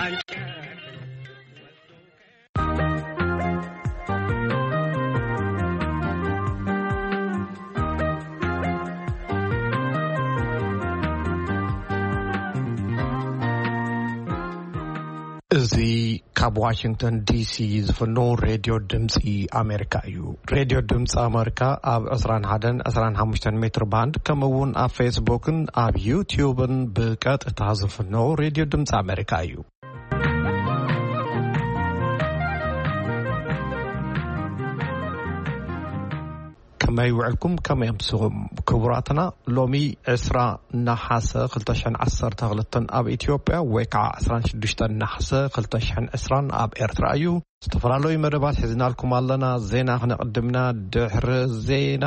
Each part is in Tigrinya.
እዚ ካብ ዋሽንግተን ዲሲ ዝፍኖ ሬድዮ ድምፂ ኣሜሪካ እዩ። ሬድዮ ድምፂ ኣሜሪካ ኣብ ዕስራን ሓደን ዕስራን ሓሙሽተን ሜትር ባንድ፣ ከምኡ እውን ኣብ ፌስቡክን ኣብ ዩትዩብን ብቀጥታ ዝፍኖ ሬድዮ ድምፂ ኣሜሪካ እዩ። ከመይ ውዕልኩም? ከመይ ኣምስኹም? ክቡራትና፣ ሎሚ ዕስራ ነሓሰ ክልተ ሽሕን ዓሰርተ ክልተን ኣብ ኢትዮጵያ፣ ወይ ከዓ ዕስራን ሽዱሽተን ነሓሰ ክልተ ሽሕን ዕስራን ኣብ ኤርትራ እዩ። ዝተፈላለዩ መደባት ሒዝናልኩም ኣለና። ዜና ክነቕድምና፣ ድሕሪ ዜና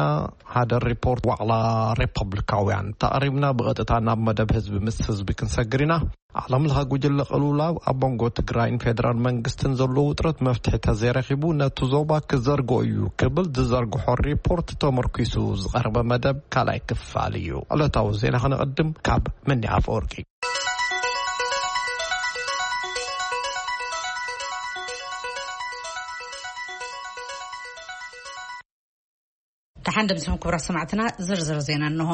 ሓደ ሪፖርት ዋዕላ ሪፐብሊካውያን ተቕሪብና፣ ብቐጥታ ናብ መደብ ህዝቢ ምስ ህዝቢ ክንሰግር ኢና። ዓለም ለኸ ጉጅለ ቅልውላው ኣብ መንጎ ትግራይን ፌደራል መንግስትን ዘሎ ውጥረት መፍትሒ ተዘይረኺቡ፣ ነቲ ዞባ ክዘርጎ እዩ ክብል ዝዘርግሖ ሪፖርት ተመርኪሱ ዝቐረበ መደብ ካልኣይ ክፋል እዩ። ዕለታዊ ዜና ክነቐድም ካብ መኒ ኣፈወርቂ። ደሓን ደምሲኹም ክቡራት ሰማዕትና፣ ዝርዝር ዜና እንሆ።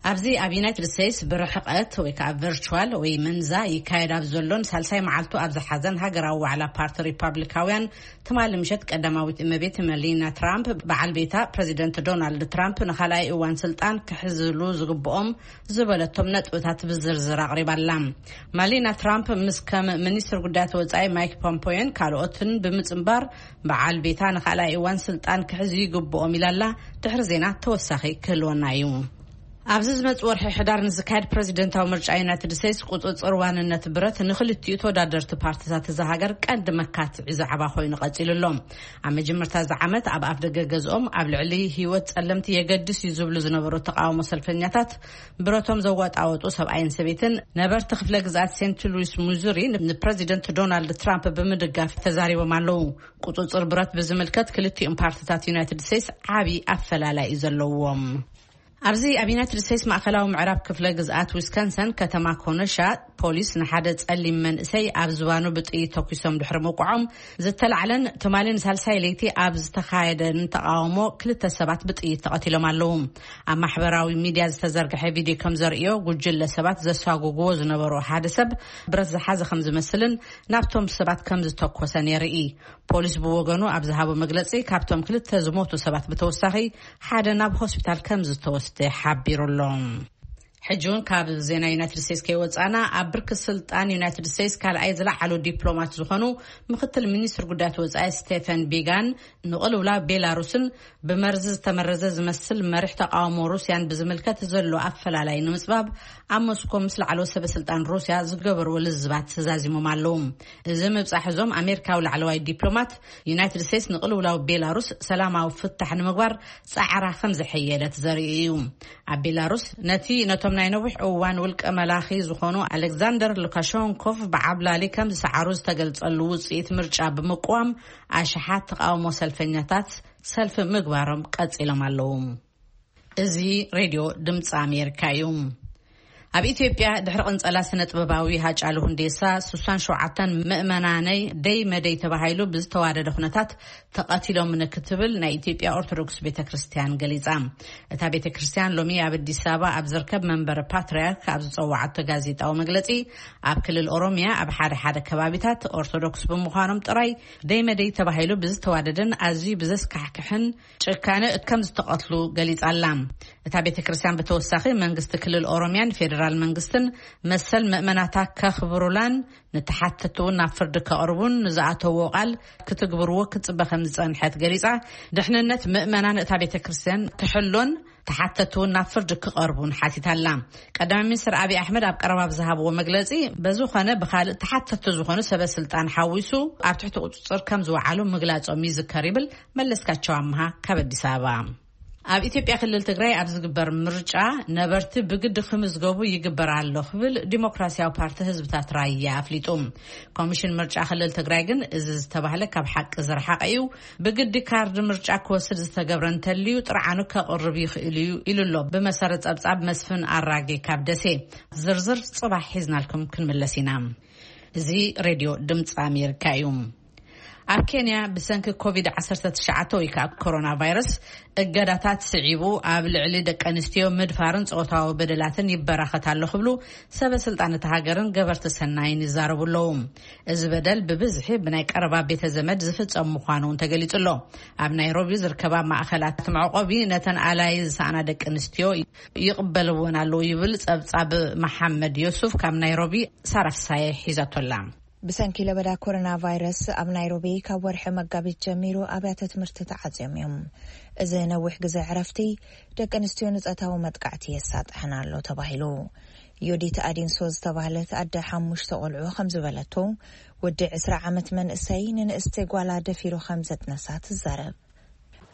ኣብዚ ኣብ ዩናይትድ ስቴትስ ብርሕቀት ወይ ከዓ ቨርቹዋል ወይ መንዛ ይካየድ ኣብ ዘሎን ሳልሳይ መዓልቱ ኣብ ዝሓዘን ሃገራዊ ዋዕላ ፓርቲ ሪፓብሊካውያን፣ ትማሊ ምሸት ቀዳማዊት እመቤት መሊና ትራምፕ፣ በዓል ቤታ ፕረዚደንት ዶናልድ ትራምፕ ንኻልኣይ እዋን ስልጣን ክሕዝሉ ዝግብኦም ዝበለቶም ነጥብታት ብዝርዝር ኣቕሪባላ። ማሊና ትራምፕ ምስ ከም ሚኒስትር ጉዳያት ወጻኢ ማይክ ፖምፖዮን ካልኦትን ብምጽንባር፣ በዓል ቤታ ንኻልኣይ እዋን ስልጣን ክሕዙ ይግብኦም ኢላላ። ድሕሪ ዜና ተወሳኺ ክህልወና እዩ። ኣብዚ ዝመጽእ ወርሒ ሕዳር ንዝካየድ ፕረዚደንታዊ ምርጫ ዩናይትድ ስቴትስ፣ ቁጽጽር ዋንነት ብረት ንኽልቲኡ ተወዳደርቲ ፓርቲታት እዛ ሃገር ቀንዲ መካትዒ ዛዕባ ኮይኑ ቀጺሉ ኣሎ። ኣብ መጀመርታ እዚ ዓመት ኣብ ኣፍ ደገ ገዝኦም ኣብ ልዕሊ ህይወት ጸለምቲ የገድስ እዩ ዝብሉ ዝነበሩ ተቃውሞ ሰልፈኛታት፣ ብረቶም ዘዋጣወጡ ሰብኣይን ሰበይትን ነበርቲ ክፍለ ግዝኣት ሴንት ሉዊስ ሚዙሪ ንፕረዚደንት ዶናልድ ትራምፕ ብምድጋፍ ተዛሪቦም ኣለዉ። ቁጽጽር ብረት ብዝምልከት ክልቲኦም ፓርቲታት ዩናይትድ ስቴትስ ዓቢ ኣፈላላይ እዩ ዘለዎም። ኣብዚ ኣብ ዩናይትድ ስቴትስ ማእከላዊ ምዕራብ ክፍለ ግዝኣት ዊስኮንሰን ከተማ ኮነሻ፣ ፖሊስ ንሓደ ጸሊም መንእሰይ ኣብ ዝባኑ ብጥይት ተኩሶም ድሕሪ ምውቅዖም ዝተላዕለን ትማሊ ንሳልሳይ ለይቲ ኣብ ዝተኻየደን ተቃውሞ ክልተ ሰባት ብጥይት ተቐቲሎም ኣለዉ። ኣብ ማሕበራዊ ሚድያ ዝተዘርግሐ ቪድዮ ከም ዘርእዮ፣ ጉጅለ ሰባት ዘሳጉግዎ ዝነበሩ ሓደ ሰብ ብረት ዝሓዘ ከም ዝመስልን ናብቶም ሰባት ከም ዝተኮሰን የርኢ። ፖሊስ ብወገኑ ኣብ ዝሃቦ መግለጺ፣ ካብቶም ክልተ ዝሞቱ ሰባት ብተወሳኺ ሓደ ናብ ሆስፒታል ከም ዝተወስደ ሓቢሩ ኣሎ። ሕጂ እውን ካብ ዜና ዩናይትድ ስቴትስ ከይወጻና፣ ኣብ ብርኪ ስልጣን ዩናይትድ ስቴትስ ካልኣይ ዝለዓሉ ዲፕሎማት ዝኾኑ ምክትል ሚኒስትር ጉዳያት ወጻኢ ስቴፈን ቢጋን፣ ንቕልውላው ቤላሩስን ብመርዚ ዝተመረዘ ዝመስል መሪሕ ተቃውሞ ሩስያን ብዝምልከት ዘሎ ኣፈላላይ ንምጽባብ ኣብ ሞስኮ ምስ ላዕለዎት ሰበ ስልጣን ሩስያ ዝገበርዎ ልዝባት ተዛዚሞም ኣለዉ። እዚ ምብጻሕ እዞም ኣሜሪካዊ ላዕለዋይ ዲፕሎማት፣ ዩናይትድ ስቴትስ ንቕልውላው ቤላሩስ ሰላማዊ ፍታሕ ንምግባር ጻዕራ ከም ዘሐየለት ዘርኢ እዩ። ኣብ ቤላሩስ ነቲ ነቶም ናይ ነዊሕ እዋን ውልቀ መላኺ ዝኾኑ ኣሌክዛንደር ሉካሸንኮቭ ብዓብላሊ ከም ዝሰዓሩ ዝተገልጸሉ ውጽኢት ምርጫ ብምቅዋም፣ ኣሽሓት ተቃውሞ ሰልፈኛታት ሰልፊ ምግባሮም ቀጺሎም ኣለዉ። እዚ ሬድዮ ድምፂ ኣሜሪካ እዩ። ኣብ ኢትዮጵያ ድሕሪ ቅንጸላ ስነ ጥበባዊ ሃጫሉ ሁንዴሳ፣ ስሳን ሸውዓተን ምእመናነይ ደይ መደይ ተባሂሉ ብዝተዋደደ ኩነታት ተቐቲሎም ክትብል ናይ ኢትዮጵያ ኦርቶዶክስ ቤተ ክርስቲያን ገሊጻ። እታ ቤተ ክርስቲያን ሎሚ ኣብ ኣዲስ ኣበባ ኣብ ዝርከብ መንበረ ፓትርያርክ ኣብ ዝጸዋዓቶ ጋዜጣዊ መግለጺ፣ ኣብ ክልል ኦሮሚያ ኣብ ሓደ ሓደ ከባቢታት ኦርቶዶክስ ብምዃኖም ጥራይ ደይ መደይ ተባሂሉ ብዝተዋደደን ኣዝዩ ብዘስካሕክሕን ጭካነ ከም ዝተቐትሉ ገሊጻ ኣላ። እታ ቤተ ክርስቲያን ብተወሳኺ መንግስቲ ክልል ኦሮሚያን ፌዴራል መንግስትን መሰል ምእመናታ ከኽብሩላን ንተሓተትቲ እውን ናብ ፍርዲ ከቕርቡን ንዝኣተዎ ቃል ክትግብርዎ ክትጽበ ከም ዝጸንሐት ገሊጻ፣ ድሕንነት ምእመናን እታ ቤተ ክርስቲያን ክሕሎን ተሓተትቲ እውን ናብ ፍርዲ ክቐርቡን ሓቲታ ኣላ። ቀዳማይ ሚኒስትር ኣብይ ኣሕመድ ኣብ ቀረባ ብዝሃብዎ መግለጺ፣ በዝኾነ ብኻልእ ተሓተትቲ ዝኾኑ ሰበ ስልጣን ሓዊሱ ኣብ ትሕቲ ቁጽጽር ከም ዝወዓሉ ምግላጾም ይዝከር ይብል መለስካቸው ኣምሃ ካብ ኣዲስ ኣበባ። ኣብ ኢትዮጵያ ክልል ትግራይ ኣብ ዝግበር ምርጫ ነበርቲ ብግዲ ክምዝገቡ ይግበር ኣሎ ክብል ዲሞክራሲያዊ ፓርቲ ህዝብታት ራያ ኣፍሊጡ። ኮሚሽን ምርጫ ክልል ትግራይ ግን እዚ ዝተባህለ ካብ ሓቂ ዝረሓቐ እዩ፣ ብግዲ ካርድ ምርጫ ክወስድ ዝተገብረ እንተልዩ ጥርዓኑ ከቕርብ ይኽእል እዩ ኢሉ ኣሎ። ብመሰረት ጸብጻብ መስፍን ኣራጌ ካብ ደሴ። ዝርዝር ጽባሕ ሒዝናልኩም ክንምለስ ኢና። እዚ ሬድዮ ድምፂ ኣሜሪካ እዩ። ኣብ ኬንያ ብሰንኪ ኮቪድ ዓሰርተ ትሽዓተ ወይ ከዓ ኮሮና ቫይረስ እገዳታት ስዒቡ ኣብ ልዕሊ ደቂ ኣንስትዮ ምድፋርን ፆታዊ በደላትን ይበራኸት ኣሎ ክብሉ ሰበ ስልጣን እቲ ሃገርን ገበርቲ ሰናይን ይዛረቡ ኣለዉ። እዚ በደል ብብዝሒ ብናይ ቀረባ ቤተ ዘመድ ዝፍጸም ምዃኑ እውን ተገሊጹ ኣሎ። ኣብ ናይሮቢ ዝርከባ ማእኸላት መዕቆቢ ነተን ኣላይ ዝሰኣና ደቂ ኣንስትዮ ይቕበልወን ኣለዉ ይብል ጸብጻብ መሓመድ ዮሱፍ ካብ ናይሮቢ። ሳራ ፍሳየ ሒዛቶላ። ብሰንኪ ለበዳ ኮሮና ቫይረስ ኣብ ናይሮቢ ካብ ወርሒ መጋቢት ጀሚሩ ኣብያተ ትምህርቲ ተዓጽዮም እዮም። እዚ ነዊሕ ግዜ ዕረፍቲ ደቂ ኣንስትዮ ንጸታዊ መጥቃዕቲ የሳጥሐን ኣሎ ተባሂሉ። ዮዲት ኣዲንሶ ዝተባህለት ኣደ ሓሙሽተ ቆልዑ ከም ዝበለቶ፣ ወዲ ዕስራ ዓመት መንእሰይ ንንእስቲ ጓላ ደፊሩ ከም ዘጥነሳ ትዛረብ።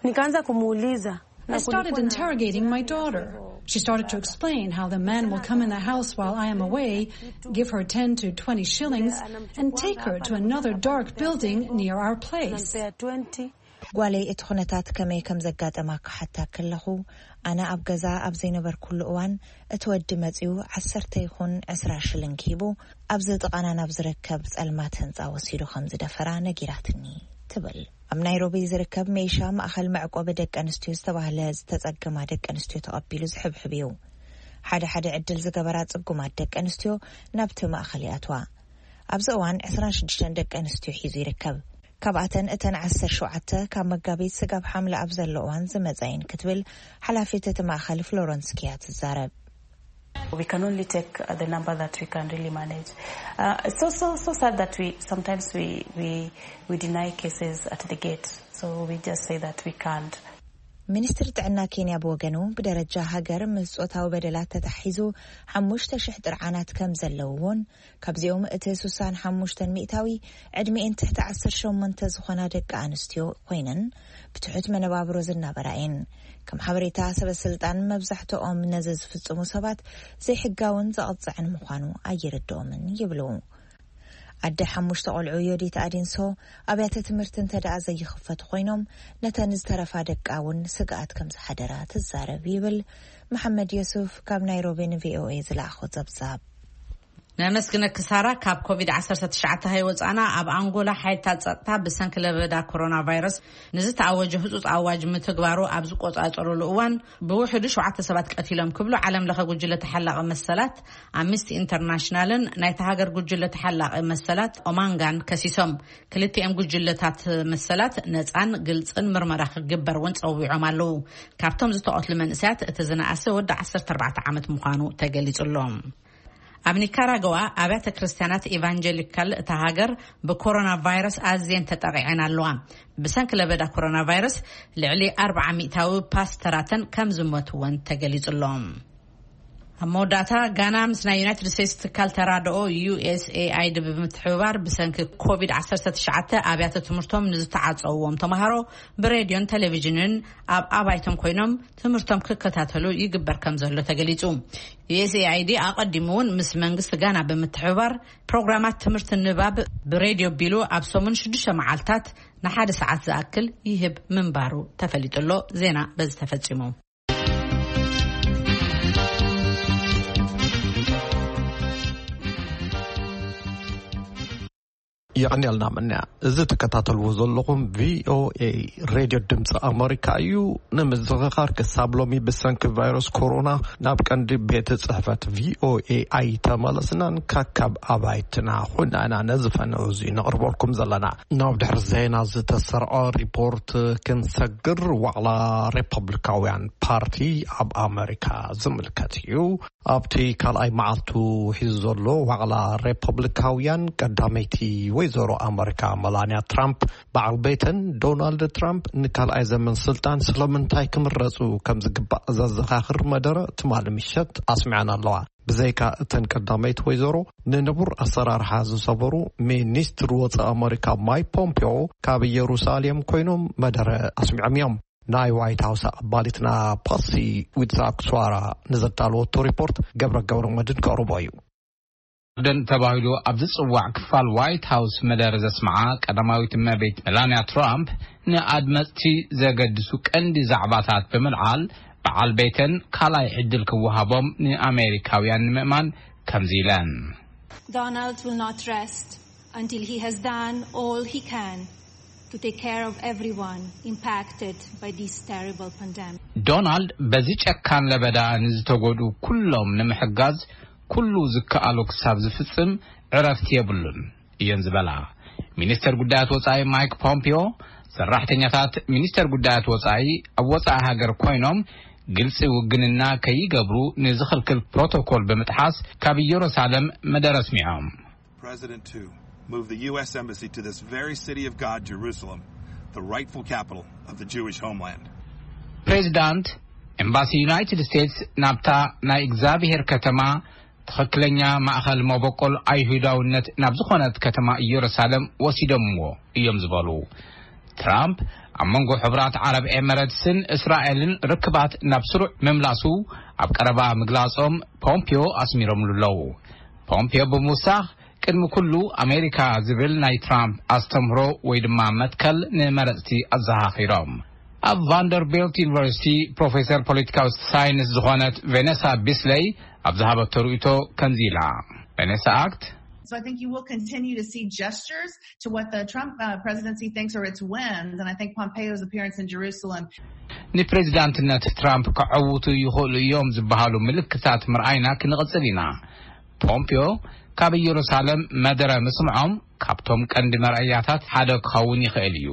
Nikaanza kumuuliza. I started interrogating my daughter. She started to explain how the man will come in the house while I am away, give her ten to twenty shillings, and take her to another dark building near our place. Nampea twenty. ጓለይ እቲ ኩነታት ከመይ ከም ዘጋጠማ ክሓታ ከለኹ፣ ኣነ ኣብ ገዛ ኣብ ዘይነበርኩሉ እዋን እቲ ወዲ መጺኡ ዓሰርተ ይኹን ዕስራ ሽልንግ ሂቡ ኣብዚ ጥቓና ናብ ዝርከብ ጸልማት ህንጻ ወሲዱ ከም ዝደፈራ ነጊራትኒ ትብል። ኣብ ናይሮቢ ዝርከብ ሜሻ ማእኸል መዕቆቢ ደቂ ኣንስትዮ ዝተባህለ ዝተጸገማ ደቂ ኣንስትዮ ተቐቢሉ ዝሕብሕብ እዩ። ሓደ ሓደ ዕድል ዝገበራ ጽጉማት ደቂ ኣንስትዮ ናብቲ ማእኸል ይኣትዋ። ኣብዚ እዋን ዕስራን ሽዱሽተን ደቂ ኣንስትዮ ሒዙ ይርከብ። ካብኣተን እተን ዓሰርተ ሸውዓተ ካብ መጋቢት ስጋብ ሓምለ ኣብ ዘሎ እዋን ዝመጻ እየን ክትብል ሓላፊት እቲ ማእኸል ፍሎረንስ ኪያ ትዛረብ። We can only take uh, the number that we can really manage. Uh, it's so so so sad that we sometimes we we we deny cases at the gate. So we just say that we can't. ሚኒስትሪ ጥዕና ኬንያ ብወገኑ ብደረጃ ሃገር ምስ ጾታዊ በደላት ተታሒዙ ሓሙሽተ ሽሕ ጥርዓናት ከም ዘለውዎን ካብዚኦም እቲ ስሳን ሓሙሽተን ሚእታዊ ዕድሚኤን ትሕቲ ዓሰርተ ሸሞንተ ዝኾና ደቂ ኣንስትዮ ኮይነን ብትሑት መነባብሮ ዝናበራ እየን። ከም ሓበሬታ ሰበ ስልጣን መብዛሕትኦም ነዚ ዝፍጽሙ ሰባት ዘይሕጋውን ዘቐጽዕን ምዃኑ ኣይርድኦምን ይብሉ። ኣደ ሓሙሽተ ቆልዑ ዮዲት ኣዲንሶ ኣብያተ ትምህርቲ እንተ ደኣ ዘይኽፈቱ ኮይኖም ነተን ዝተረፋ ደቃ እውን ስግኣት ከም ዝሓደራ ትዛረብ ይብል መሓመድ ዮሱፍ ካብ ናይሮቢ ን ቪኦኤ ዝለኣኾ ጸብጻብ። ነመስግነኪ ሳራ። ካብ ኮቪድ ዓሰርተ ትሽዓተ ሃይ ወፃና ኣብ ኣንጎላ ሓይልታት ፀጥታ ብሰንኪ ለበዳ ኮሮና ቫይረስ ንዝተኣወጀ ህፁፅ ኣዋጅ ምትግባሩ ኣብ ዝቆፃፀሩሉ እዋን ብውሕዱ ሸውዓተ ሰባት ቀቲሎም ክብሉ ዓለም ለኸ ጉጅለ ተሓላቒ መሰላት ኣምነስቲ ኢንተርናሽናልን ናይቲ ሃገር ጉጅለ ተሓላቒ መሰላት ኦማንጋን ከሲሶም። ክልቲኦም ጉጅለታት መሰላት ነፃን ግልፅን ምርመራ ክግበር እውን ፀዊዖም ኣለዉ። ካብቶም ዝተቐትሉ መንእሰያት እቲ ዝነኣሰ ወዲ ዓሰርተ ኣርባዕተ ዓመት ምዃኑ ተገሊጹ ኣሎ። ኣብ ኒካራጓ ኣብያተ ክርስቲያናት ኢቫንጀሊካል እታ ሃገር ብኮሮና ቫይረስ ኣዝየን ተጠቒዐን ኣለዋ። ብሰንኪ ለበዳ ኮሮና ቫይረስ ልዕሊ ኣርብዓ ሚእታዊ ፓስተራተን ከም ዝሞትወን ተገሊጹ ኣሎ። ኣብ መወዳእታ ጋና ምስ ናይ ዩናይትድ ስቴትስ ትካል ተራድኦ ዩ ኤስ ኤ ኣይ ዲ ብምትሕብባር ብሰንኪ ኮቪድ ዓሰርተ ትሽዓተ ኣብያተ ትምህርቶም ንዝተዓጸውዎም ተምሃሮ ብሬድዮን ቴሌቪዥንን ኣብ ኣባይቶም ኮይኖም ትምህርቶም ክከታተሉ ይግበር ከም ዘሎ ተገሊጹ። ዩ ኤስ ኤ ኣይ ዲ ኣቐዲሙ እውን ምስ መንግስቲ ጋና ብምትሕብባር ፕሮግራማት ትምህርቲ ንባብ ብሬድዮ ቢሉ ኣብ ሰሙን ሽዱሽተ መዓልታት ንሓደ ሰዓት ዝኣክል ይህብ ምንባሩ ተፈሊጡ ኣሎ። ዜና በዚ ተፈጺሙ። የቐንየልና ምንያ። እዚ ትከታተልዎ ዘለኹም ቪኦኤ ሬድዮ ድምፂ ኣመሪካ እዩ። ንምዝኽኻር ክሳብ ሎሚ ብሰንኪ ቫይረስ ኮሮና ናብ ቀንዲ ቤት ጽሕፈት ቪኦኤ ኣይተመለስናን። ካካብ ኣባይትና ኹና ኢና ነዚ ፈንዑ እዚ ነቕርበልኩም ዘለና። ናብ ድሕሪ ዜና ዝተሰርዖ ሪፖርት ክንሰግር ዋዕላ ሪፐብሊካውያን ፓርቲ ኣብ ኣመሪካ ዝምልከት እዩ። ኣብቲ ካልኣይ መዓልቱ ሒዙ ዘሎ ዋዕላ ሪፐብሊካውያን ቀዳመይቲ ወይዘሮ ኣመሪካ መላንያ ትራምፕ በዓል ቤተን ዶናልድ ትራምፕ ንካልኣይ ዘመን ስልጣን ስለምንታይ ክምረፁ ከም ዝግባእ ዘዘኻኽር መደረ ትማሊ ምሸት ኣስሚዐን ኣለዋ። ብዘይካ እተን ቀዳመይቲ ወይዘሮ ንንቡር ኣሰራርሓ ዝሰበሩ ሚኒስትር ወፃኢ ኣመሪካ ማይክ ፖምፒዮ ካብ ኢየሩሳሌም ኮይኖም መደረ ኣስሚዖም እዮም። ናይ ዋይት ሃውስ ኣባሊትና ፓሲ ዊትሳክስዋራ ንዘዳለወቶ ሪፖርት ገብረ ገብረ መድን ከቕርቦ እዩ። ደን ተባሂሉ ኣብ ዝጽዋዕ ክፋል ዋይት ሃውስ መደረ ዘስምዓ ቀዳማዊት እመቤት መላንያ ትራምፕ ንኣድመጽቲ ዘገድሱ ቀንዲ ዛዕባታት ብምልዓል በዓል ቤተን ካልኣይ ዕድል ክወሃቦም ንኣሜሪካውያን ንምእማን ከምዚ ኢለን። Donald will not rest until he has done all he can to take care of everyone impacted by this terrible pandemic. ዶናልድ በዚ ጨካን ለበዳ ንዝተጎዱ ኩሎም ንምሕጋዝ ኩሉ ዝከኣሎ ክሳብ ዝፍጽም ዕረፍቲ የብሉን እየን ዝበላ ሚኒስተር ጉዳያት ወጻኢ ማይክ ፖምፒዮ፣ ሰራሕተኛታት ሚኒስተር ጉዳያት ወጻኢ ኣብ ወጻኢ ሃገር ኮይኖም ግልጺ ውግንና ከይገብሩ ንዝኽልክል ፕሮቶኮል ብምጥሓስ ካብ ኢየሩሳሌም መደረ ኣስሚዖም። President to move the U S embassy to this very city of God, Jerusalem, the rightful capital of the Jewish homeland. ፕሬዚዳንት ኤምባሲ ዩናይትድ ስቴትስ ናብታ ናይ እግዚኣብሔር ከተማ፣ ትኽክለኛ ማእኸል መበቆል ኣይሁዳውነት ናብ ዝኾነት ከተማ ኢየሩሳሌም ወሲዶምዎ እዮም ዝበሉ ትራምፕ፣ ኣብ መንጎ ሕቡራት ዓረብ ኤመረትስን እስራኤልን ርክባት ናብ ስሩዕ ምምላሱ ኣብ ቀረባ ምግላጾም ፖምፒዮ ኣስሚሮምሉ ኣለዉ። ፖምፒዮ ብምውሳኽ፣ ቅድሚ ኩሉ ኣሜሪካ ዝብል ናይ ትራምፕ ኣስተምህሮ ወይ ድማ መትከል ንመረጽቲ ኣዘኻኺሮም። ኣብ ቫንደርቢልት ዩኒቨርሲቲ ፕሮፌሰር ፖለቲካዊ ሳይንስ ዝኾነት ቬኔሳ ቢስለይ ኣብ ዝሃበቶ ርእይቶ ከምዚ ኢላ። ቬኔሳ ኣክት So I think you will continue to see gestures to what the Trump uh, presidency thinks are its wins. And I think Pompeo's appearance in Jerusalem ንፕሬዚዳንትነት ትራምፕ ከዐውቱ ይኽእሉ እዮም ዝበሃሉ ምልክታት ምርኣይና ክንቕጽል ኢና። ፖምፒዮ ካብ ኢየሩሳሌም መደረ ምስምዖም ካብቶም ቀንዲ መርኣያታት ሓደ ክኸውን ይኽእል እዩ።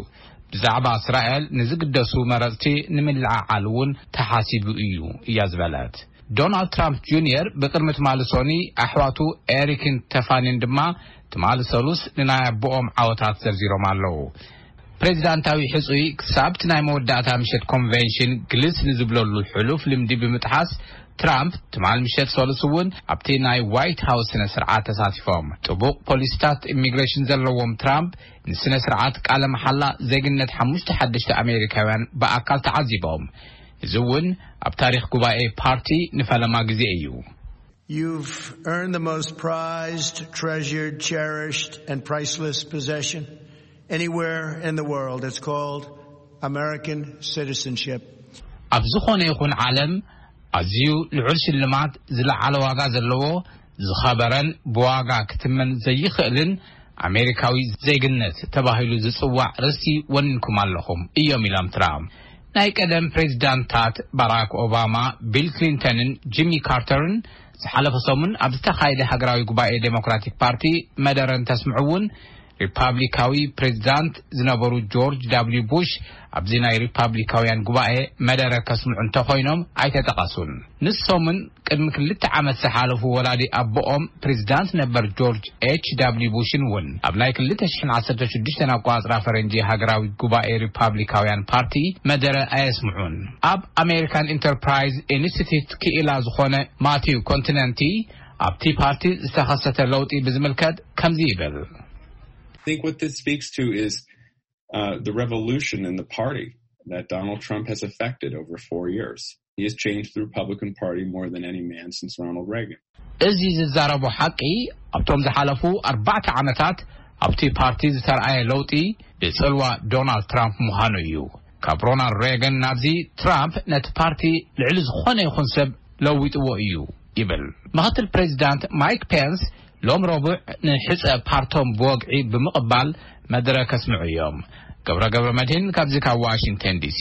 ብዛዕባ እስራኤል ንዝግደሱ መረጽቲ ንምልዓዓል እውን ተሓሲቡ እዩ እያ ዝበለት። ዶናልድ ትራምፕ ጁኒየር ብቅድሚ ትማሊ ሶኒ ኣሕዋቱ ኤሪክን ተፋኒን ድማ ትማሊ ሰሉስ ንናይ ኣቦኦም ዓወታት ዘርዚሮም ኣለዉ። ፕሬዚዳንታዊ ሕጹይ ክሳብ እቲ ናይ መወዳእታ ምሸት ኮንቨንሽን ግልስ ንዝብለሉ ሕሉፍ ልምዲ ብምጥሓስ ትራምፕ ትማል ምሸት ሰሉስ እውን ኣብቲ ናይ ዋይት ሃውስ ስነ ስርዓት ተሳቲፎም። ጥቡቕ ፖሊሲታት ኢሚግሬሽን ዘለዎም ትራምፕ ንስነ ስርዓት ቃለ መሓላ ዜግነት ሓሙሽተ ሓደሽተ ኣሜሪካውያን ብኣካል ተዓዚቦም። እዚ እውን ኣብ ታሪኽ ጉባኤ ፓርቲ ንፈለማ ግዜ እዩ። You've earned the most prized, treasured, cherished, and priceless possession anywhere in the world. It's called American citizenship. ኣብ ዝኾነ ይኹን ዓለም ኣዝዩ ልዑል ሽልማት ዝለዓለ ዋጋ ዘለዎ ዝኸበረን ብዋጋ ክትመን ዘይኽእልን ኣሜሪካዊ ዜግነት ተባሂሉ ዝጽዋዕ ርስቲ ወኒንኩም ኣለኹም እዮም ኢሎም ትራምፕ። ናይ ቀደም ፕሬዚዳንታት ባራክ ኦባማ፣ ቢል ክሊንተንን ጂሚ ካርተርን ዝሓለፈ ሰሙን ኣብ ዝተኻየደ ሃገራዊ ጉባኤ ዴሞክራቲክ ፓርቲ መደረ እንተስምዑ እውን ሪፓብሊካዊ ፕሬዚዳንት ዝነበሩ ጆርጅ ዳብሊው ቡሽ ኣብዚ ናይ ሪፓብሊካውያን ጉባኤ መደረ ከስምዑ እንተኾይኖም ኣይተጠቐሱን። ንሶምን ቅድሚ ክልተ ዓመት ዝሓለፉ ወላዲ ኣቦኦም ፕሬዚዳንት ነበር ጆርጅ ኤች ዳብሊው ቡሽን እውን ኣብ ናይ ክልተ ሽሕን ዓሰርተ ሽዱሽተን ኣቋጽራ ፈረንጂ ሃገራዊ ጉባኤ ሪፓብሊካውያን ፓርቲ መደረ ኣየስምዑን። ኣብ ኣሜሪካን ኢንተርፕራይዝ ኢንስቲትዩት ክኢላ ዝኾነ ማቲው ኮንቲነንቲ ኣብቲ ፓርቲ ዝተኸሰተ ለውጢ ብዝምልከት ከምዚ ይብል። I think what this speaks to is uh, the revolution in the party that Donald Trump has affected over four years. He has changed the Republican Party more than any man since Ronald Reagan. እዚ ዝዛረቦ ሓቂ ኣብቶም ዝሓለፉ ኣርባዕተ ዓመታት ኣብቲ ፓርቲ ዝተርኣየ ለውጢ ብጽልዋ ዶናልድ ትራምፕ ምዃኑ እዩ። ካብ ሮናልድ ሬገን ናብዚ ትራምፕ ነቲ ፓርቲ ልዕሊ ዝኾነ ይኹን ሰብ ለዊጥዎ እዩ ይብል። ምክትል ፕሬዚዳንት ማይክ ፔንስ ሎም ረቡዕ ንሕፀ ፓርቶም ብወግዒ ብምቕባል መድረ ከስምዑ እዮም። ገብረ ገብረ መድህን ካብዚ ካብ ዋሽንግተን ዲሲ።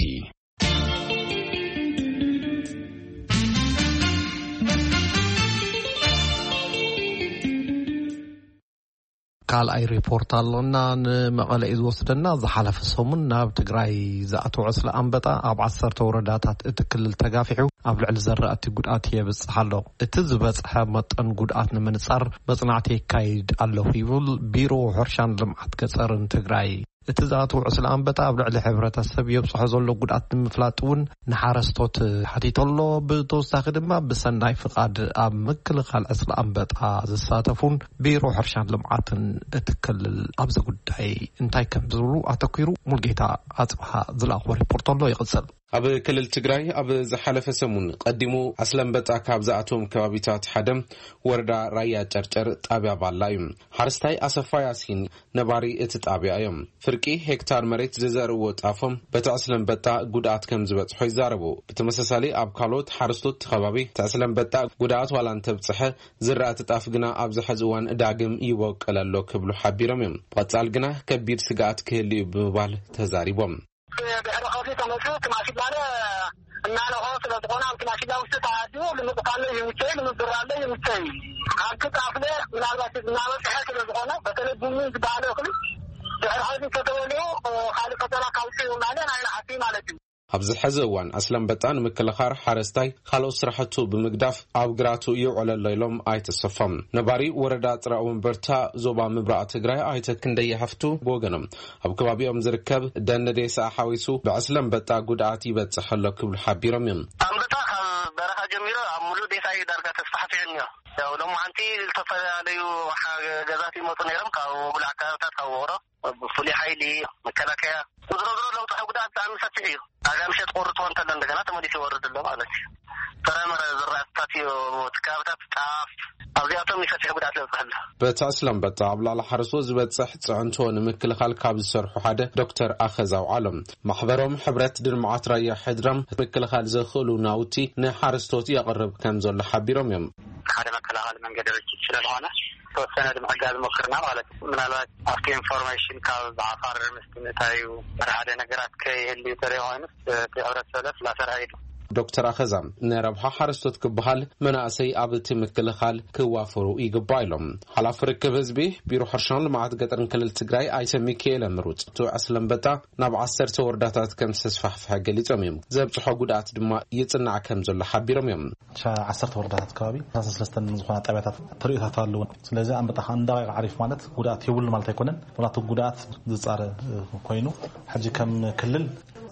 ካልኣይ ሪፖርት ኣሎና ንመቐለ እዩ ዝወስደና። ዝሓለፈ ሰሙን ናብ ትግራይ ዝኣተወ ዕስለ ኣንበጣ ኣብ ዓሰርተ ወረዳታት እቲ ክልል ተጋፊሑ ኣብ ልዕሊ ዘራእቲ ጉድኣት የብፅሕ ኣሎ። እቲ ዝበፅሐ መጠን ጉድኣት ንምንፃር መፅናዕቲ የካይድ ኣለኹ ይብል ቢሮ ሕርሻን ልምዓት ገፀርን ትግራይ። እቲ ዝኣተወ ዕስለ ኣንበጣ ኣብ ልዕሊ ሕብረተሰብ የብፅሖ ዘሎ ጉድኣት ንምፍላጥ እውን ንሓረስቶት ሓቲቱ ኣሎ። ብተወሳኺ ድማ ብሰናይ ፍቓድ ኣብ ምክልኻል ዕስለ ኣንበጣ ዝሳተፉን ቢሮ ሕርሻን ልምዓትን እቲ ክልል ኣብዚ ጉዳይ እንታይ ከም ዝብሉ ኣተኲሩ ሙልጌታ ኣፅብሃ ዝለኣኽዎ ሪፖርት ኣሎ። ይቕፅል። ኣብ ክልል ትግራይ ኣብ ዝሓለፈ ሰሙን ቀዲሙ ኣስለምበጣ ካብ ዝኣቶም ከባቢታት ሓደ ወረዳ ራያ ጨርጨር ጣብያ ባላ እዩ። ሓረስታይ ኣሰፋ ያሲን ነባሪ እቲ ጣብያ እዮም። ፍርቂ ሄክታር መሬት ዝዘርእዎ ጣፎም በቲ ኣስለምበጣ ጉድኣት ከም ዝበፅሖ ይዛረቡ። ብተመሳሳሊ ኣብ ካልኦት ሓረስቶት እቲ ከባቢ እቲ ኣስለምበጣ ጉድኣት ዋላ እንተብፅሐ ዝራእቲ ጣፍ ግና ኣብዚ ሕዚ እዋን ዳግም ይበቁል ኣሎ ክብሉ ሓቢሮም እዮም። ብቐፃል ግና ከቢድ ስግኣት ክህሉ እዩ ብምባል ተዛሪቦም። ድሕሪ ከዚ ተመፅኡ እቲ ማሽላለ እናለኾ ስለ ዝኾነ ኣብቲ ማሽላ ውስጥ ተኣድዩ ልምፅታለ ይምቸይ ልምብራለ ይምቸይ። ኣብቲ ጣፍለ ምናልባት እናበፅሐ ስለ ዝኾነ በተለይ ቡኒ ዝበሃለ እኽሊ ድሕሪ ከዚ ከተበልኡ ካልእ ፈተና ካውፅኡ ማለት ኣይንሓስይ ማለት እዩ። ኣብዚ ሕዚ እዋን ኣስለምበጣ ንምክልኻር ሓረስታይ ካልኦት ስራሕቱ ብምግዳፍ ኣብ ግራቱ ይውዕል ኣሎ ኢሎም ኣይተሰፎም። ነባሪ ወረዳ ጥራ ወንበርታ ዞባ ምብራቕ ትግራይ ኣይተ ክንደየ ሃፍቱ ብወገኖም ኣብ ከባቢኦም ዝርከብ ደን ዴሳ ሓዊሱ ብኣስለምበጣ ጉድኣት ይበፅሕ ኣሎ ክብሉ ሓቢሮም እዮም። ኣንበጣ ካብ በረኻ ጀሚሩ ኣብ ሙሉእ ዴሳ እዩ ዳርጋ ተስፋሕፊሑ እኒኦ። ያው ሎማዓንቲ ዝተፈላለዩ ሓ- ገዛት ይመፁ ነይሮም ካብ ወጉል ኣካባብታት ካብ ወቅሮ ብፍሉይ ሓይሊ መከላከያ ዝሮ ዝሮ ለውጢ ጉድኣት ብጣዕሚ ሰፊሕ እዩ። ኣጋ ምሸት ቆርጥ ሆን ተሎ እንደገና ተመሊሱ ይወርድ ኣሎ ማለት እዩ። ጥረምረ ዝራእትታት እዩ ትካብታት ጣፍ ኣብዚኣቶም ይሰፊሕ ጉድኣት ለብፅሕ ኣሎ። በቲ ኣስለምበጣ ኣብ ላዕሊ ሓረስቶት ዝበፅሕ ፅዕንቶ ንምክልኻል ካብ ዝሰርሑ ሓደ ዶክተር ኣኸዛው ዓለም ማሕበሮም ሕብረት ድልምዓት ራያ ሕድራም ምክልኻል ዘኽእሉ ናውቲ ንሓረስቶት የቕርብ ከም ዘሎ ሓቢሮም እዮም። ሓደ መከላኸሊ መንገዲ ርችት ስለዝኾነ ተወሰነ ንምሕጋዝ ሞክርና ማለት እዩ። ምናልባት ኣብቲ ኢንፎርሜሽን ካብ ዓፋር ምስቲ ምእታዩ ሓደ ነገራት ከይህልዩ ተሪኦ ኮይኑ እቲ ሕብረተሰብ ስላሰርዐ እዩ። ዶክተር ኣኸዛ ንረብሓ ሓረስቶት ክበሃል መናእሰይ ኣብ እቲ ምክልኻል ክዋፈሩ ይግባእ ኢሎም። ሓላፊ ርክብ ህዝቢ ቢሮ ሕርሻን ልምዓት ገጠርን ክልል ትግራይ ኣይተ ሚካኤል ምሩፅ እቲ ኣስለምበጣ ናብ ዓሰርተ ወረዳታት ከም ዝተስፋሕፈሐ ገሊፆም እዮም። ዘብፅሖ ጉድኣት ድማ ይፅናዕ ከም ዘሎ ሓቢሮም እዮም። ዓሰርተ ወረዳታት ከባቢ ሰለስተን ዝኾና ጣብያታት ተርእዮታት ኣለዎ። ስለዚ ኣንበጣ ከዓ እንዳቕ ዓሪፍ ማለት ጉድኣት የብሉ ማለት ኣይኮነን። ዋላ እቲ ጉድኣት ዝፃረ ኮይኑ ሕጂ ከም ክልል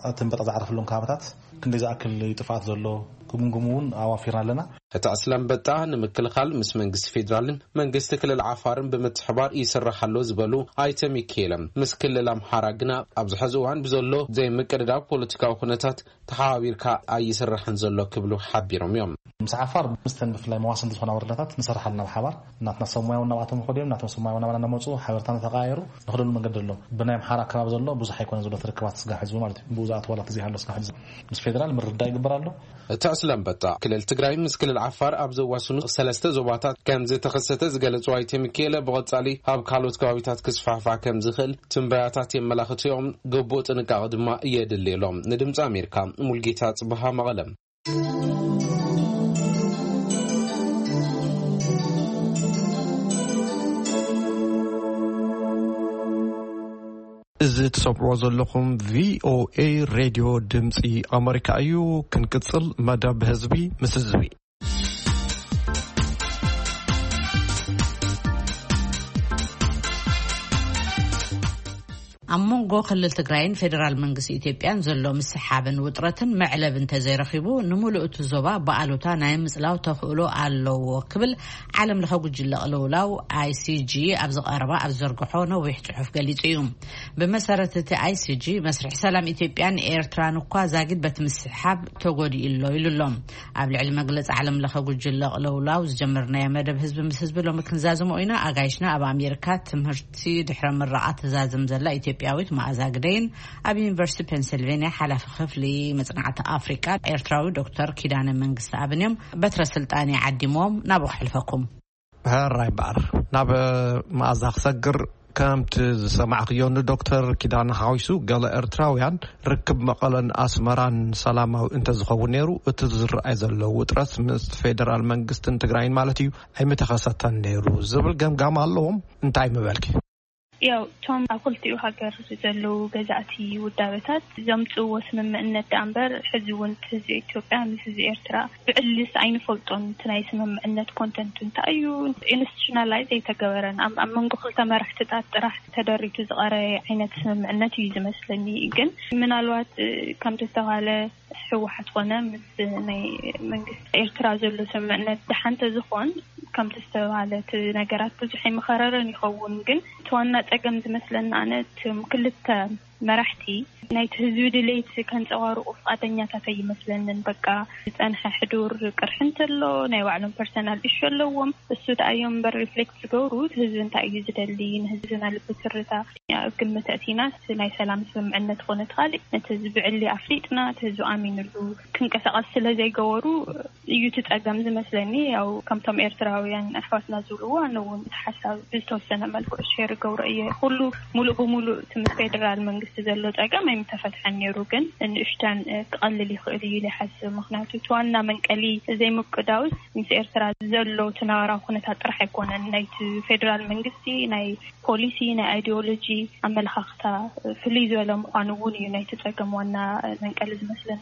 እቲ ኣንበጣ ዝዓረፈሎም ከባብታት ክንደይ ዝኣክል እዩ ጥፍኣት ዘሎ ክግምግሙ እውን ኣዋፊርና ኣለና። እቲ ኣስለምበጣ ንምክልኻል ምስ መንግስቲ ፌዴራልን መንግስቲ ክልል ዓፋርን ብምትሕባር ይስራሕ ኣሎ ዝበሉ ኣይተ ሚካኤለ ምስ ክልል ኣምሓራ ግና ኣብዚ ሕዚ እዋን ብዘሎ ዘይምቅድዳብ ፖለቲካዊ ኩነታት ተሓባቢርካ ኣይስራሕን ዘሎ ክብሉ ሓቢሮም እዮም። ምስ ዓፋር ምስተን ብፍላይ መዋስንቲ ዝኾና ወረዳታት ንሰርሓልና ብሓባር ናትና ሰብ ሞያውን ናብኣቶም ይኸዱ እዮም፣ ናቶም ሰብ ሞያውን ናባና እናመፁ ሓበርታ እናተቀያየሩ ንኽደሉ መንገዲ ኣሎ። ብናይ ኣምሓራ ከባቢ ዘሎ ብዙሕ ኣይኮነ ዘሎ ትርክባት ስጋብ ሕዚ ማለት እዩ። ብኡ ዝኣተወላ ተዘይሃሎ ስጋብ ሕዚ ምስ ፌደራል ምርዳእ ይግበር ኣሎ። እቲ ዕስለ ኣንበጣ ክልል ትግራይ ምስ ክልል ዓፋር ኣብ ዘዋስኑ ሰለስተ ዞባታት ከም ዝተኸሰተ ዝገለጹ ኣይተ ሚካኤለ ብቐጻሊ ኣብ ካልኦት ከባቢታት ክስፋሕፋ ከም ዝኽእል ትንበያታት የመላኽቱ እዮም። ግቡእ ጥንቃቐ ድማ የድሊ ኢሎም። ንድምፂ ኣሜሪካ ሙልጌታ ጽብሃ መቐለ። እዚ ትሰምዕዎ ዘለኹም ቪ ኦ ኤ ሬድዮ ድምፂ ኣመሪካ እዩ። ክንቅፅል መደብ ህዝቢ ምስ ህዝቢ። ኣብ መንጎ ክልል ትግራይን ፌደራል መንግስቲ ኢትዮጵያን ዘሎ ምስሓብን ውጥረትን መዕለቢ እንተዘይረኺቡ፣ ንምሉእ እቲ ዞባ ብኣሉታ ናይ ምጽላው ተኽእሎ ኣለዎ ክብል ዓለም ለኸ ጉጅለ ቅልውላው ኣይ ሲ ጂ ኣብ ዝቐረባ ኣብ ዝዘርግሖ ነዊሕ ጽሑፍ ገሊጹ እዩ። ብመሰረት እቲ ኣይ ሲ ጂ፣ መስርሕ ሰላም ኢትዮጵያን ኤርትራን እኳ ዛጊድ በቲ ምስሓብ ተጎዲኡ ኣሎ ኢሉ ኣሎ። ኣብ ልዕሊ መግለጺ ዓለም ለኸ ጉጅለ ቅልውላው ዝጀመርናዮ መደብ ህዝቢ ምስ ህዝቢ ሎሚ ክንዛዝሞ ኢና። ኣጋይሽና ኣብ ኣሜሪካ ትምህርቲ ድሕረ ምረቓ ትዛዝም ዘላ ኢትዮጵያዊት መኣዛ ግደይን ኣብ ዩኒቨርሲቲ ፔንሲልቬንያ ሓላፊ ክፍሊ መጽናዕቲ ኣፍሪቃ ኤርትራዊ ዶክተር ኪዳነ መንግስቲ ኣብን እዮም። በትረ ስልጣን ዓዲሞም ናብኡ ክሕልፈኩም። ሕራይ እምበኣር ናብ መኣዛ ክሰግር፣ ከምቲ ዝሰማዕክዮ ንዶክተር ኪዳነ ሓዊሱ ገለ ኤርትራውያን ርክብ መቐለን ኣስመራን ሰላማዊ እንተዝኸውን ነይሩ እቲ ዝረኣይ ዘሎ ውጥረት ምስ ፌደራል መንግስትን ትግራይን ማለት እዩ ኣይምተኸሰተን ነይሩ ዝብል ገምጋም ኣለዎም። እንታይ ምበልኪ? ያው እቶም ኣብ ክልቲኡ ሃገር ዘለዉ ገዛእቲ ውዳበታት ዘምጽእዎ ስምምዕነት ደኣ እምበር ሕዚ እውን እቲ ህዝቢ ኢትዮጵያ ምስ ህዝቢ ኤርትራ ብዕልስ ኣይንፈልጦን። እቲ ናይ ስምምዕነት ኮንተንቱ እንታይ እዩ? ኢንስቲቱሽናላይዝ ኣይተገበረን። ኣብ ኣብ መንጎ ክልተ መራሕትታት ጥራሕ ተደሪቱ ዝቐረበ ዓይነት ስምምዕነት እዩ ዝመስለኒ። ግን ምናልባት ከምቲ ዝተባሃለ ህወሓት ኮነ ምስ ናይ መንግስቲ ኤርትራ ዘሎ ስምምዕነት ደሓን ተዝኾን ከምቲ ዝተባሃለ እቲ ነገራት ብዙሕ ኣይምኸረረን ይኸውን። ግን እቲ ዋና ጸገም ዝመስለኒ ኣነ እቶም ክልተ መራሕቲ ናይቲ ህዝቢ ድሌት ከንጸባርቑ ፍቓደኛታት ኣይመስለንን። በቃ ዝጸንሐ ሕዱር ቅርሒ እንተሎ ናይ ባዕሎም ፐርሰናል ኢሹ ኣለዎም። እሱ ደኣ እዮም እምበር ሪፍሌክት ዝገብሩ፣ እቲ ህዝቢ እንታይ እዩ ዝደሊ፣ ንህዝብና ልቢ ትርታ ኣብ ግምት ኣእቲና ናይ ሰላም ስምምዕነት ኮነ እቲ ካልእ ነቲ ህዝቢ ብዕሊ ኣፍሊጥና እቲ ህዝቢ ኣሚንሉ ክንቀሳቐስ ስለ ዘይገበሩ እዩ እቲ ጸገም ዝመስለኒ። ያው ከምቶም ኤርትራውያን ኣሕዋትና ዝብልዎ ኣነ እውን እቲ ሓሳብ ብዝተወሰነ መልክዑ ሼር ገብሮ እየ። ኩሉ ሙሉእ ብሙሉእ እቲ ምስ ፌደራል መንግስቲ ዘሎ ጸገም ኣይምተፈትሐን ነይሩ፣ ግን ንእሽተን ክቐልል ይኽእል እዩ ኢለ ይሓስብ። ምኽንያቱ እቲ ዋና መንቀሊ ዘይምቅዳውስ ምስ ኤርትራ ዘሎ እቲ ነባራዊ ኩነታት ጥራሕ ኣይኮነን። ናይቲ ፌደራል መንግስቲ ናይ ፖሊሲ፣ ናይ ኣይዲዮሎጂ ኣመለኻኽታ ፍልይ ዝበለ ምዃኑ እውን እዩ ናይቲ ጸገም ዋና መንቀሊ ዝመስለኒ።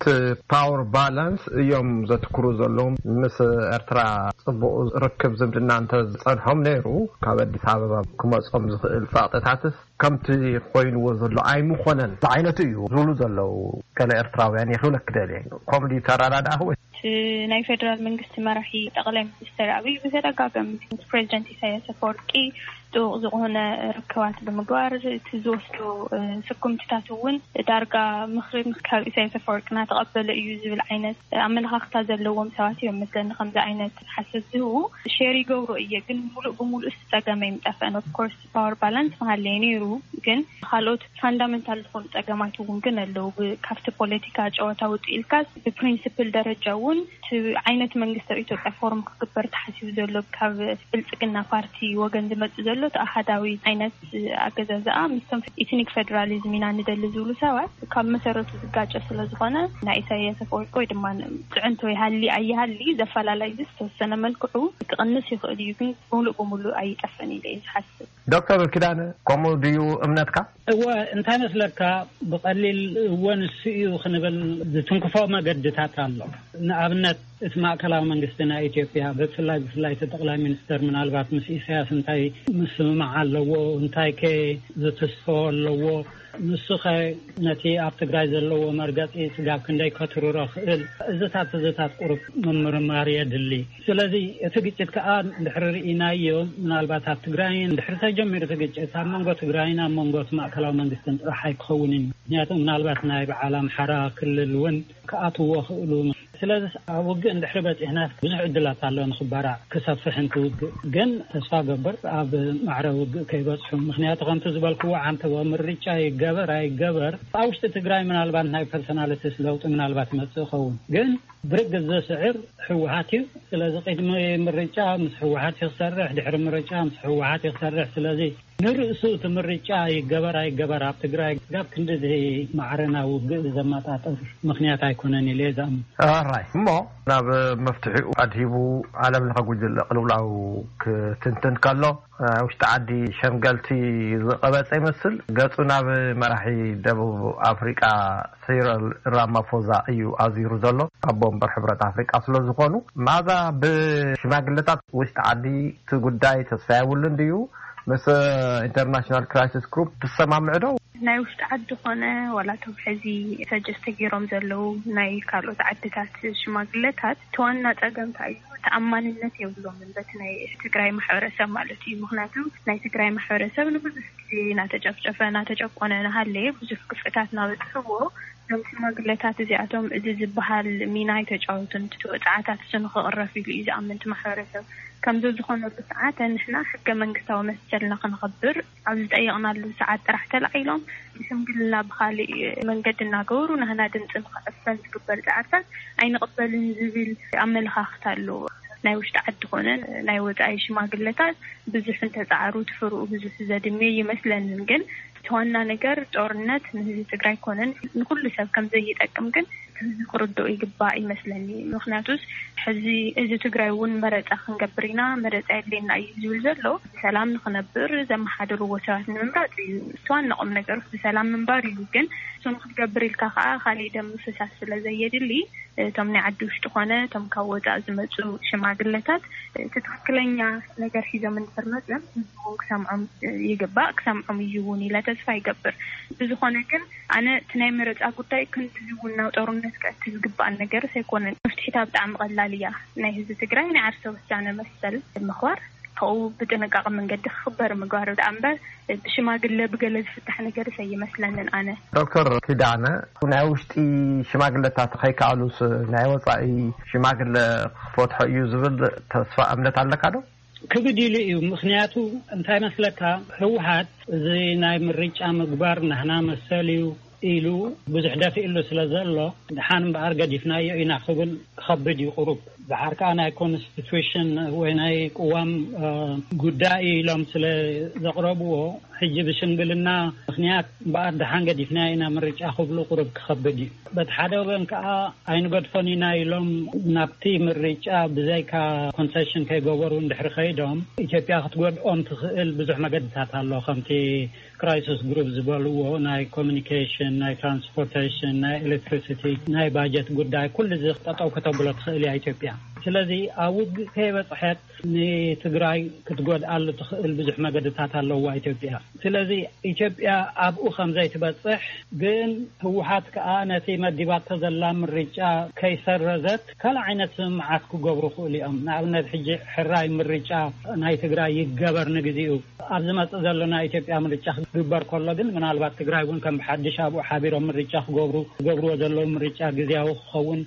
እቲ ፓወር ባላንስ እዮም ዘትክሩ ዘለዉ። ምስ ኤርትራ ጽቡቕ ርክብ ዝምድና እንተ ዝጸንሖም ነይሩ፣ ካብ ኣዲስ ኣበባ ክመጾም ዝኽእል ጸቕጥታትስ ከምቲ ኮይንዎ ዘሎ ኣይምኾነን ዝዓይነቱ እዩ ዝብሉ ዘለዉ ገለ ኤርትራውያን ይኽብለክ ደልየ። ከምኡ ድዩ ተረዳድኣኽ ወይ? እቲ ናይ ፌደራል መንግስቲ መራሒ ጠቕላይ ሚኒስትር ኣብይ ብተደጋጋሚ ምስ ፕሬዚደንት ኢሳያስ ኣፈወርቂ ጥቡቕ ዝኾነ ርክባት ብምግባር እቲ ዝወስዶ፣ እ፣ ስጉምትታት እውን ዳርጋ ምኽሪ ካብ ኢሳያስ ኣፈወርቂ እናተቐበለ እዩ ዝብል ዓይነት ኣመለኻኽታ ዘለዎም ሰባት እዮም መስለኒ ከምዚ ዓይነት ሓሰት ዝህቡ። ሼር ይገብሮ እየ፣ ግን ሙሉእ ብሙሉእ እቲ ጸገም ኣይምጠፈን። ኦፍኮርስ ፓወር ባላንስ መሃለየ ነይሩ፣ ግን ካልኦት ፋንዳመንታል ዝኾኑ ጸገማት እውን ግን ኣለዉ። ብ-፣ ካብቲ ፖለቲካ ጨዋታ ውጡ ኢልካስ ብፕሪንሲፕል ደረጃ እውን እቲ ዓይነት መንግስቲ ኣብ ኢትዮጵያ ፎርም ክግበር ተሓሲቡ ዘሎ ካብ ብልጽግና ፓርቲ ወገን ዝመጽእ ዘሎ እቲ ኣሃዳዊ ዓይነት ኣገዛዝኣ ምስቶም ኢትኒክ ፌደራሊዝም ኢና ንደሊ ዝብሉ ሰባት ካብ መሰረቱ ዝጋጨ ስለ ዝኾነ ናይ ኢሳያስ ኣፈወርቂ ወይ ድማ ጽዕንቶ ይሃሊ ኣይሃሊ ዘፈላላይ ዝተወሰነ መልክዑ ክቕንስ ይኽእል እዩ፣ ግን ሙሉእ ብሙሉእ ኣይጠፍእን ኢለ እየ ዝሓስብ። ዶክተር ኪዳነ፣ ከምኡ ድዩ እምነትካ? እወ፣ እንታይ መስለካ፣ ብቐሊል እወ ንሱ እዩ ክንብል ዝትንክፎ መገድታት ኣሎ። ንኣብነት እቲ ማእከላዊ መንግስቲ ናይ ኢትዮጵያ ብፍላይ ብፍላይ እቲ ጠቕላይ ሚኒስተር ምናልባት ምስ ኢሳያስ እንታይ ምስምማዕ ኣለዎ፣ እንታይ ከ ዝትስፎ ኣለዎ፣ ንሱ ኸ ነቲ ኣብ ትግራይ ዘለዎ መርገጺ ስጋብ ክንደይ ከትርሮ ክእል፣ እዝታት እዝታት ቁሩብ ምምርማር የድሊ። ስለዚ እቲ ግጭት ከኣ ድሕሪ ርኢናዮ፣ ምናልባት ኣብ ትግራይን ድሕሪ ተጀሚሩ እቲ ግጭት ኣብ መንጎ ትግራይን ኣብ መንጎ እቲ ማእከላዊ መንግስትን ጥራሕ ኣይክኸውንን እዩ። ምክንያቱ ምናልባት ናይ በዓል ኣምሓራ ክልል እውን ክኣትዎ ክእሉ። ስለዚ ኣብ ውግእ እንድሕሪ በጺሕና ብዙሕ ዕድላት ኣሎ ንኽባራዕ ክሰፍሕ እንት ውግእ። ግን ተስፋ ገብር ኣብ ማዕረ ውግእ ከይበጽሑ። ምክንያቱ ከምቲ ዝበልክዎ ዓንተቦ ምርጫ ይገበር ኣይገበር ኣብ ውሽጢ ትግራይ ምናልባት ናይ ፐርሶናሊቲስ ለውጢ ምናልባት ይመጽእ ይኸውን። ግን ብርግጽ ዘስዕር ህወሓት እዩ። ስለዚ ቅድሚ ምርጫ ምስ ህወሓት እዩ ክሰርሕ፣ ድሕሪ ምርጫ ምስ ህወሓት እዩ ክሰርሕ። ስለዚ ንርእሱ እቲ ምርጫ ይገበር ኣይገበር ኣብ ትግራይ ጋብ ክንድዚ ማዕረና ውግእ ዘመጣጠር ምኽንያት ኣይኮነን ኢለ እየ ዝኣምን። ኣራይ እሞ ናብ መፍትሒኡ ኣድሂቡ ዓለም ለኸ ጉጅለ ቅልውላው ክትንትን ከሎ፣ ውሽጢ ዓዲ ሸምገልቲ ዝቐበጸ ይመስል። ገጹ ናብ መራሒ ደቡብ ኣፍሪቃ ሲረል ራማፎዛ እዩ ኣዚሩ ዘሎ። ኣቦ ወንበር ሕብረት ኣፍሪቃ ስለ ዝኾኑ፣ መኣዛ ብሽማግለታት ውሽጢ ዓዲ እቲ ጉዳይ ተስፋ የብሉን ድዩ? ምስ ኢንተርናሽናል ክራይሲስ ግሩፕ ትሰማምዑ ዶ? ናይ ውሽጢ ዓዲ ኾነ ዋላ እቶም ሕዚ ሰጀስት ተገይሮም ዘለዉ ናይ ካልኦት ዓድታት ሽማግለታት፣ እቲ ዋና ጸገም እንታይ እዩ? ተኣማንነት የብሎምን በቲ ናይ ትግራይ ማሕበረሰብ ማለት እዩ። ምኽንያቱ ናይ ትግራይ ማሕበረሰብ ንብዙሕ ግዜ እናተጨፍጨፈ እናተጨቆነ እናሃለየ ብዙሕ ግፍዕታት እናበፅሕዎ፣ እዞም ሽማግለታት እዚኣቶም እዚ ዝበሃል ሚና ኣይተጫወቱን። እቲ ወፅዓታት እሱ ንክቕረፍ ኢሉ እዩ ዝኣምን እቲ ማሕበረሰብ። ከምዚ ዝኾነሉ ሰዓት ንሕና ሕገ መንግስታዊ መሰልና ክንኸብር ኣብ ዝጠየቕናሉ ሰዓት ጥራሕ ተላዒሎም ብሽምግልና ብኻሊእ መንገዲ እናገበሩ ናህና ድምፂ ንክዕፈን ዝግበር ፃዕርታት ኣይንቕበልን ዝብል ኣመለኻኽታ ኣለዎ። ናይ ውሽጢ ዓዲ ኮነ ናይ ወፃኢ ሽማግለታት ብዙሕ እንተፃዕሩ እቲ ፍርኡ ብዙሕ ዘድሜ ይመስለንን፣ ግን እቲ ዋና ነገር ጦርነት ንህዝቢ ትግራይ ኮነን ንኩሉ ሰብ ከም ዘይጠቅም ግን ህዝቢ ክርድኦ ይግባእ ይመስለኒ። ምክንያቱስ ሕዚ እዚ ትግራይ እውን መረፃ ክንገብር ኢና፣ መረፃ የድልየና እዩ ዝብል ዘሎ። ብሰላም ንክነብር ዘመሓደርዎ ሰባት ንምምራፅ እዩ። እቲ ዋና ቁም ነገር ብሰላም ምንባር እዩ። ግን እሱ ንክትገብር ኢልካ ከዓ ካሊእ ደም ምፍሳስ ስለ ዘየድሊ እቶም ናይ ዓዲ ውሽጢ ኮነ እቶም ካብ ወፃእ ዝመፁ ሽማግለታት እቲ ትክክለኛ ነገር ሒዞም እንድሕር መፅዮም ህዝቢ እውን ክሰምዖም ይግባእ፣ ክሰምዖም እዩ እውን ኢለ ተስፋ ይገብር። ብዝኾነ ግን ኣነ እቲ ናይ መረፃ ጉዳይ ክንድዚ እውን ናብ ጦርነት ከእቲ ዝግባእ ነገርስ ኣይኮነን። መፍትሒታ ብጣዕሚ ቀላል እያ። ናይ ህዝቢ ትግራይ ናይ ዓርሰ ውሳነ መሰል ምኽባር፣ ከኡ ብጥንቃቐ መንገዲ ክኽበር ምግባር ደኣ እምበር፣ ብሽማግለ ብገለ ዝፍታሕ ነገር ኣይመስለንን ኣነ። ዶክተር ኪዳነ፣ ናይ ውሽጢ ሽማግለታት ከይከኣሉስ ናይ ወጻኢ ሽማግለ ክፈትሖ እዩ ዝብል ተስፋ እምነት ኣለካ ዶ? ክብድ ኢሉ እዩ። ምኽንያቱ እንታይ መስለካ፣ ህወሓት እዚ ናይ ምርጫ ምግባር ናህና መሰል እዩ ኢሉ ብዙሕ ደፊእሉ ስለ ዘሎ፣ ድሓን እምበኣር ገዲፍናዮ ኢና ክብል ክኸብድ እዩ ቁሩብ። ድሓር ከኣ ናይ ኮንስቲቱሽን ወይ ናይ ቅዋም ጉዳይ ኢሎም ስለ ዘቕረብዎ፣ ሕጂ ብሽምግልና ምኽንያት እምበኣር ድሓን ገዲፍናዮ ኢና ምርጫ ክብሉ ቁሩብ ክኸብድ እዩ። በቲ ሓደ ወገን ከኣ ኣይንገድፎን ኢና ኢሎም ናብቲ ምርጫ ብዘይካ ኮንሰሽን ከይገበሩ እንድሕሪ ከይዶም፣ ኢትዮጵያ ክትጎድኦም ትኽእል ብዙሕ መገድታት ኣሎ። ከምቲ ክራይሲስ ግሩፕ ዝበልዎ፣ ናይ ኮሚኒኬሽን፣ ናይ ትራንስፖርቴሽን፣ ናይ ኤሌክትሪሲቲ፣ ናይ ባጀት ጉዳይ፣ ኩሉ እዚ ጠጠው ከተብሎ ትኽእል እያ ኢትዮጵያ። ስለዚ ኣብ ውግእ ከይበፅሐት ንትግራይ ክትጎድኣሉ ትኽእል ብዙሕ መገድታት ኣለዋ ኢትዮጵያ። ስለሕዚ ኢትዮጵያ ኣብኡ ከም ዘይትበፅሕ ግን፣ ህወሓት ከኣ ነቲ መዲባቶ ዘላ ምርጫ ከይሰረዘት ካልእ ዓይነት ስምምዓት ክገብሩ ይኽእሉ እዮም። ንኣብነት ሕጂ ሕራይ ምርጫ ናይ ትግራይ ይገበር ንግዚኡ። ኣብ ዝመጽእ ዘሎ ናይ ኢትዮጵያ ምርጫ ክግበር ከሎ ግን፣ ምናልባት ትግራይ እውን ከም ብሓድሽ ኣብኡ ሓቢሮም ምርጫ ክገብሩ፣ ዝገብርዎ ዘለዉ ምርጫ ግዝያዊ ክኸውን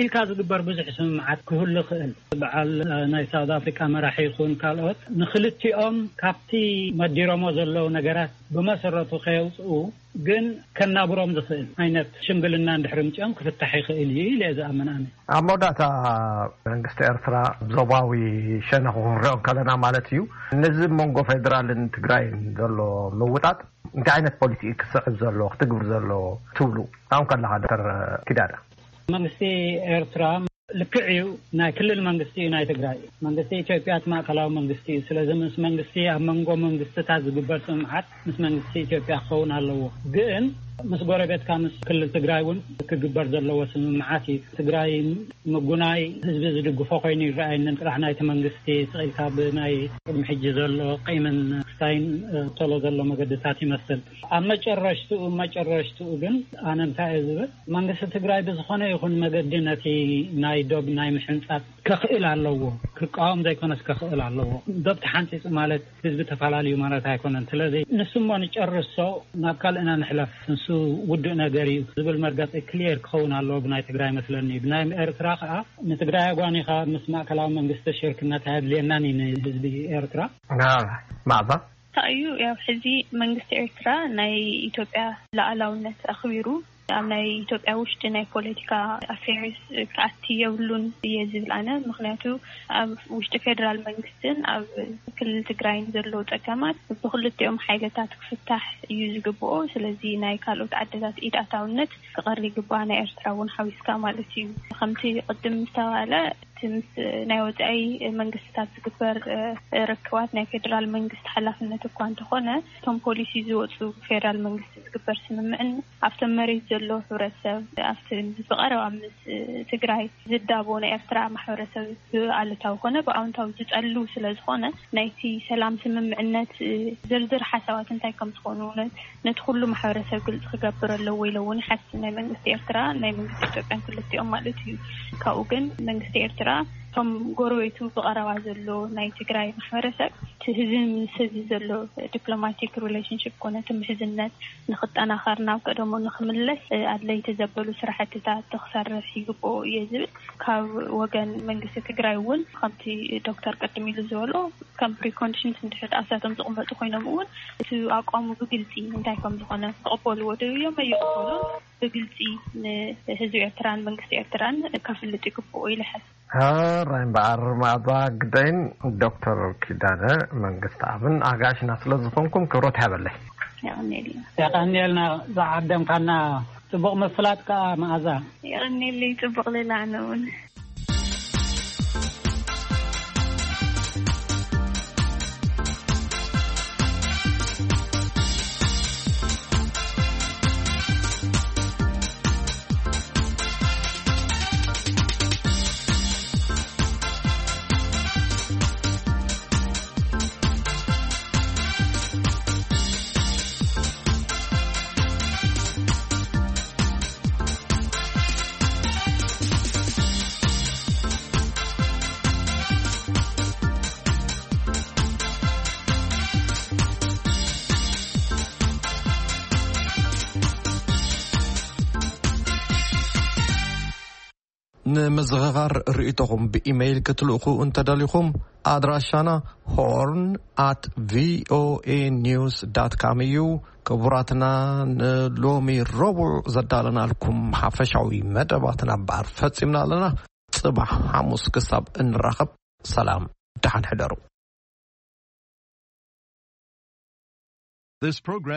ኢልካ ዝግበር ብዙሕ ስምምዓት ክህሉ ይኽእል። በዓል ናይ ሳውዝ ኣፍሪካ መራሒ ይኹን ካልኦት፣ ንክልቲኦም ካብቲ መዲሮሞ ዘለዉ ነገራት ብመሰረቱ ከየውፅኡ ግን ከናብሮም ዝኽእል ዓይነት ሽምግልና እንድሕሪ ምፅኦም ክፍታሕ ይኽእል እዩ ኢለ እየ ዝኣምን ኣነ። ኣብ መወዳእታ፣ መንግስቲ ኤርትራ ዞባዊ ሸነኹ ክንሪኦ ከለና ማለት እዩ፣ ነዚ መንጎ ፌደራልን ትግራይን ዘሎ ምውጣጥ እንታይ ዓይነት ፖሊሲ እዩ ክስዕብ ዘሎ፣ ክትግብር ዘሎ ትብሉ? ካብኡ ከለኻ ዶክተር ኪዳነ። መንግስቲ ኤርትራ ልክዕ እዩ፣ ናይ ክልል መንግስቲ እዩ ናይ ትግራይ። መንግስቲ ኢትዮጵያ እቲ ማእከላዊ መንግስቲ እዩ። ስለዚ ምስ መንግስቲ፣ ኣብ መንጎ መንግስትታት ዝግበር ስምምዓት ምስ መንግስቲ ኢትዮጵያ ክኸውን ኣለዎ። ግን ምስ ጎረቤትካ፣ ምስ ክልል ትግራይ እውን ክግበር ዘለዎ ስምምዓት እዩ። ትግራይ ምጉናይ ህዝቢ ዝድግፎ ኮይኑ ይረኣየንን። ጥራሕ ናይቲ መንግስቲ ስቕ ኢልካ ብናይ ቅድሚ ሕጂ ዘሎ ቂምን ክስታይን፣ እ፣ ቶሎ ዘሎ መገድታት ይመስል። ኣብ መጨረሽትኡ፣ መጨረሽትኡ ግን ኣነ እንታይ እየ ዝብል፣ መንግስቲ ትግራይ ብዝኾነ ይኹን መገዲ ነቲ ናይ ዶብ ናይ ምሕንጻጽ ከኽእል ኣለዎ። ክቃወም ዘይኮነስ ከኽእል ኣለዎ። ዶብ ተሓንጺጹ ማለት ህዝቢ ተፈላለዩ ማለት ኣይኮነን። ስለዚ ንሱ እሞ ንጨርሶ፣ ናብ ካልእና ንሕለፍ፣ ንሱ ውዱእ ነገር እዩ ዝብል መርገጺ ክሊየር ክኸውን ኣለዎ ብናይ ትግራይ መስለኒ። ብናይ ኤርትራ ከኣ ንትግራይ ኣጓኒኻ ምስ ማእከላዊ መንግስቲ ሽርክነት ኣየድልየናን እዩ ንህዝቢ ኤርትራ። ና፣ ማዕዛ? እንታይ እዩ፣ ያው ሕዚ መንግስቲ ኤርትራ ናይ ኢትዮጵያ ሉዓላውነት ኣኽቢሩ ኣብ ናይ ኢትዮጵያ ውሽጢ ናይ ፖለቲካ ኣፌርስ ክኣቲ የብሉን እየ ዝብል ኣነ። ምኽንያቱ ኣብ ውሽጢ ፌደራል መንግስትን ኣብ ክልል ትግራይን ዘለዉ ጸገማት ብክልቲኦም ሓይልታት ክፍታሕ እዩ ዝግብኦ። ስለዚ ናይ ካልኦት ዓድታት ኢድ ኣታውነት ክቐሪ ይግባእ፣ ናይ ኤርትራ እውን ሓዊስካ ማለት እዩ። ከምቲ ቅድም ዝተባህለ፣ እቲ ምስ ናይ ወጻኢ መንግስትታት ዝግበር፣ እ፣ ርክባት ናይ ፌደራል መንግስቲ ሓላፍነት እኳ እንተኾነ፣ እቶም ፖሊሲ ዝወፁ ብፌደራል መንግስቲ ዝግበር ስምምዕን ኣብቶም መሬት ዘሎ ሕብረተሰብ፣ ኣብቲ ብቐረባ ምስ ትግራይ ዝዳቦ ናይ ኤርትራ ማሕበረሰብ ብኣሉታዊ ኮነ ብኣውንታዊ ዝጠሉ ስለ ዝኾነ፣ ናይቲ ሰላም ስምምዕነት፣ እ፣ ዝርዝር ሓሳባት እንታይ ከም ዝኾኑ ነ-፣ ነቲ ኩሉ ማሕበረሰብ ግልፂ ክገብር ኣለዎ ኢለ እውን ይሓስብ። ናይ መንግስቲ ኤርትራ፣ ናይ መንግስቲ ኢትዮጵያን ክልቲኦም ማለት እዩ። ካብኡ ግን መንግስቲ ኤርትራ እቶም ጎረቤቱ ብቐረባ ዘሎ ናይ ትግራይ ማሕበረሰብ፣ እቲ ህዝቢ ምስ ህዝቢ ዘሎ ዲፕሎማቲክ ሪሌሽንሽፕ ኮነ እቲ ምሕዝነት ንኽጠናኸር፣ ናብ ቀደሙ ንኽምለስ፣ እ፣ ኣድለይቲ ዘበሉ ስራሕትታት ክሰርሕ ይግብኦ እየ ዝብል። ካብ ወገን መንግስቲ ትግራይ እውን ከምቲ ዶክተር ቅድም ኢሉ ዝበሎ፣ ከም ፕሪኮንዲሽንስ እንድሕር ደኣ እሳቶም ዝቕመጡ ኮይኖም እውን እቲ ኣቋሙ ብግልፂ እንታይ ከም ዝኾነ ክቕበልዎ ደልዮም ኣይቕበሉን ብግልፂ ንህዝቢ ኤርትራን መንግስቲ ኤርትራን ከፍልጥ ይግብኦ ኢለ ይሓስብ። ሕራይ እምበኣር፣ ማዕዛ ግደይን ዶክተር ኪዳነ መንግስትኣብን ኣጋይሽና ስለ ዝኾንኩም ክብረት ይሃበለይ። የቐንየልና። የቐንየልና ዝዓደምካና። ጽቡቕ ምፍላጥ ከኣ፣ መኣዛ። የቐንየለይ፣ ጽቡቕ ሌላ ኣነ እውን። ንምዝኽኻር ርእይቶኹም ብኢሜይል ክትልእኹ እንተደሊኹም፣ ኣድራሻና ሆርን ኣት ቪኦኤ ኒውስ ዳት ካም እዩ። ክቡራትና፣ ንሎሚ ረቡዕ ዘዳለናልኩም ሓፈሻዊ መደባትና እምበኣር ፈጺምና ኣለና። ጽባሕ ሓሙስ ክሳብ እንራኸብ፣ ሰላም፣ ደሓን ሕደሩ። This program